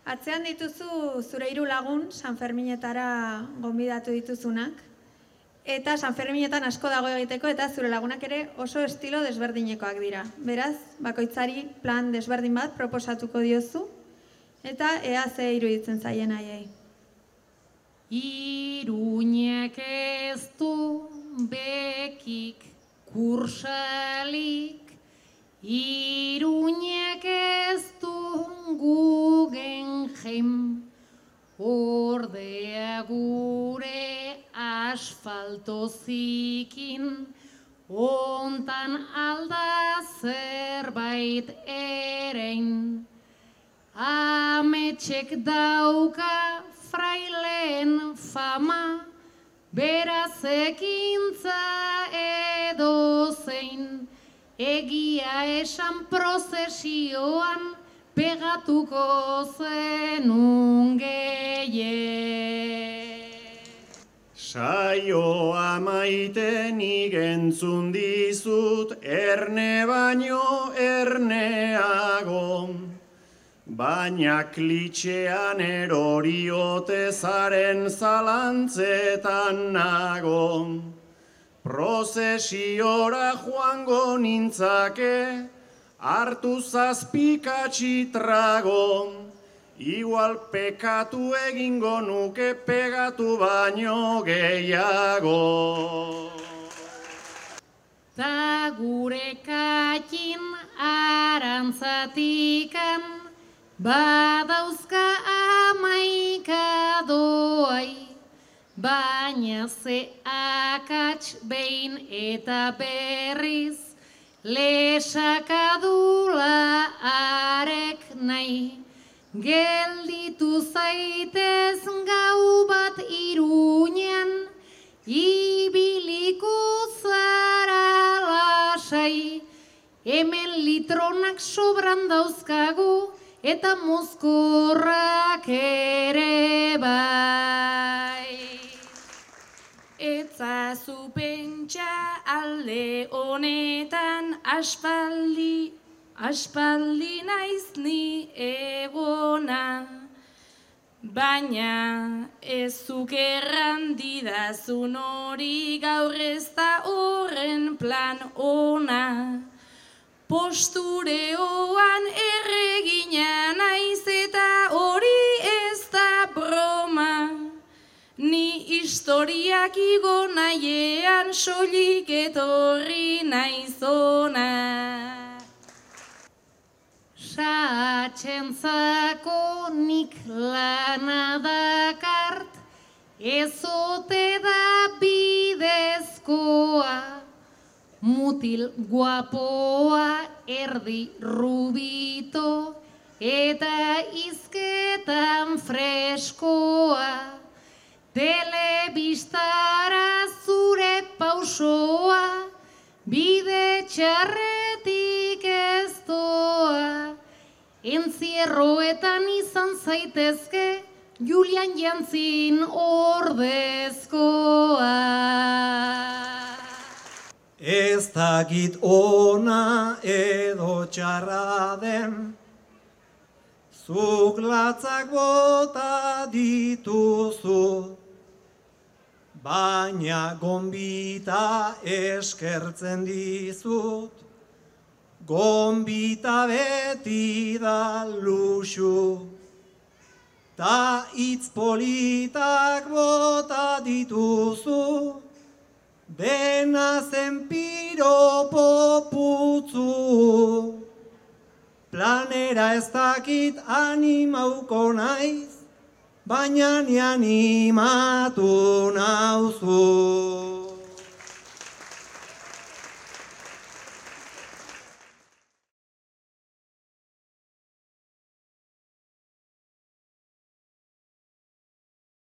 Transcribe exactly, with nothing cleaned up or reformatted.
Atzean dituzu zure hiru lagun Sanferminetara gonbidatu dituzunak, eta Sanferminetan asko dago egiteko eta zure lagunak ere oso estilo desberdinekoak dira. Beraz, bakoitzari plan desberdin bat proposatuko diozu, eta ea ze iruditzen zaien haiei. Iruñek ez du bekik kursalik, Iruñek ez du Guggenheim, ordea gure asfalto zikin, ontan alda zerbait erein. Ametxek dauka fraileen fama, beraz ekintza edozein, egia esan prozesioan pegatuko zenun gehiek. Saioa maiten igentzun dizut, erne baino erneago, baina klitxean eroriote zaren zalantzetan nago. Prozesiora joango nintzake, hartu zazpikatxi trago, igual pekatu egingo nuke pegatu baino gehiago. Ta gure katin arantzatikan, badauzka amaika doai, baina ze akats behin eta berriz, lesakadula arek nahi, gelditu zaitez gau bat Iruñan, ibiliko zara lasai, hemen litronak sobran dauzkagu, eta mozkorrak ere bai. Etzazu pentsa alde honetan aspaldi, aspaldi naiz ni egona. Baina ez zuk erran didazun hori gaur ez da horren plan ona. Postureoan erregina naiz eta hori ez da broma. Ni historiak igo nahiean soilik etorri naiz ona. Satxentzako nik lana dakart, ezote da bidezkoa, mutil guapoa erdi rubito, eta izketan freskoa, telebistara zure pausoa, bide txarretik ez doa. Entzierroetan izan zaitezke, Julian Jantzin ordezkoa. Ez dakit ona edo txarra den, zuk latzak bota dituzu, baina gonbita eskertzen dizut, gonbita beti da luxu, ta hitz politak bota dituzu, dena zen piropo putzu. Planera ez dakit animauko naiz, baina ni animatu nauzu.